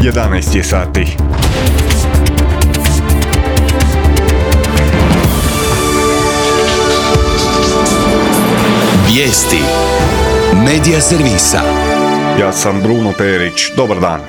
11 je sati. Vijesti Medija servisa. Ja sam Bruno Perić. Dobar dan.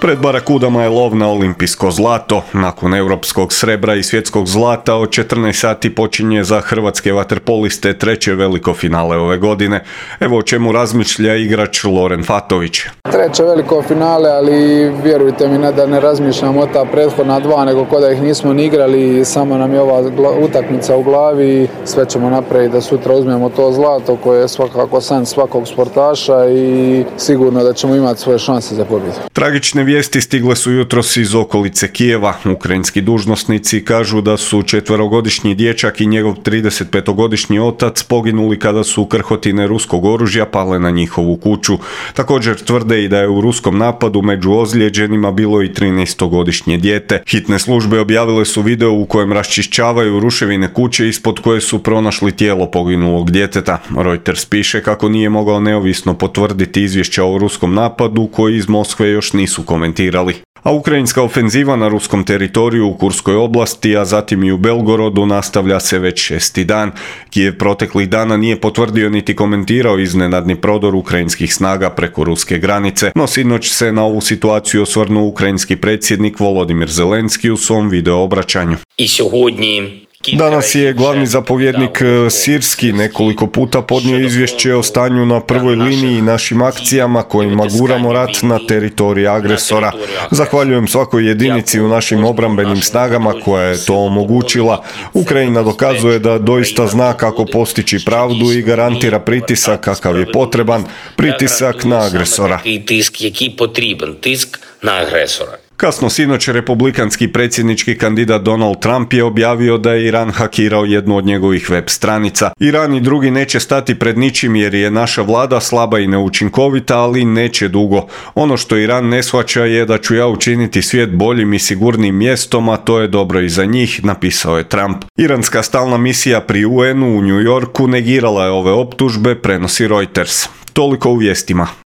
Pred Barakudama je lov na olimpijsko zlato. Nakon europskog srebra i svjetskog zlata od 14 sati počinje za hrvatske vaterpoliste treće veliko finale ove godine. Evo o čemu razmišlja igrač Loren Fatović. Treće veliko finale, ali vjerujte mi da ne razmišljamo o ta prethodna dva, nego ko da ih nismo ni igrali, samo nam je ova utakmica u glavi. Sve ćemo napraviti da sutra uzmemo to zlato koje je svakako san svakog sportaša i sigurno da ćemo imati svoje šanse za pobjedu. Tragične vijesti stigle su jutros iz okolice Kijeva. Ukrajinski dužnosnici kažu da su 4-godišnji dječak i njegov 35-godišnji otac poginuli kada su krhotine ruskog oružja pale na njihovu kuću. Također tvrde i da je u ruskom napadu među ozlijeđenima bilo i 13-godišnje dijete. Hitne službe objavile su video u kojem raščišćavaju ruševine kuće ispod koje su pronašli tijelo poginulog djeteta. Reuters piše kako nije mogao neovisno potvrditi izvješća o ruskom napadu koji iz Moskve još nisu komentirali. A ukrajinska ofenziva na ruskom teritoriju u Kurskoj oblasti, a zatim i u Belgorodu nastavlja se već 6. dan. Kijev proteklih dana nije potvrdio niti komentirao iznenadni prodor ukrajinskih snaga preko ruske granice, no sinoć se na ovu situaciju osvrnuo ukrajinski predsjednik Volodimir Zelenski u svom video obraćanju. Danas je glavni zapovjednik Sirski nekoliko puta podnio izvješće o stanju na prvoj liniji i našim akcijama kojima guramo rat na teritorij agresora. Zahvaljujem svakoj jedinici u našim obrambenim snagama koja je to omogućila. Ukrajina dokazuje da doista zna kako postići pravdu i garantira pritisak kakav je potreban, pritisak na agresora. Kasno sinoć republikanski predsjednički kandidat Donald Trump je objavio da je Iran hakirao jednu od njegovih web stranica. Iran i drugi neće stati pred ničim jer je naša vlada slaba i neučinkovita, ali neće dugo. Ono što Iran ne shvaća je da ću ja učiniti svijet boljim i sigurnim mjestom, a to je dobro i za njih, napisao je Trump. Iranska stalna misija pri UN-u u New Yorku negirala je ove optužbe, prenosi Reuters. Toliko u vijestima.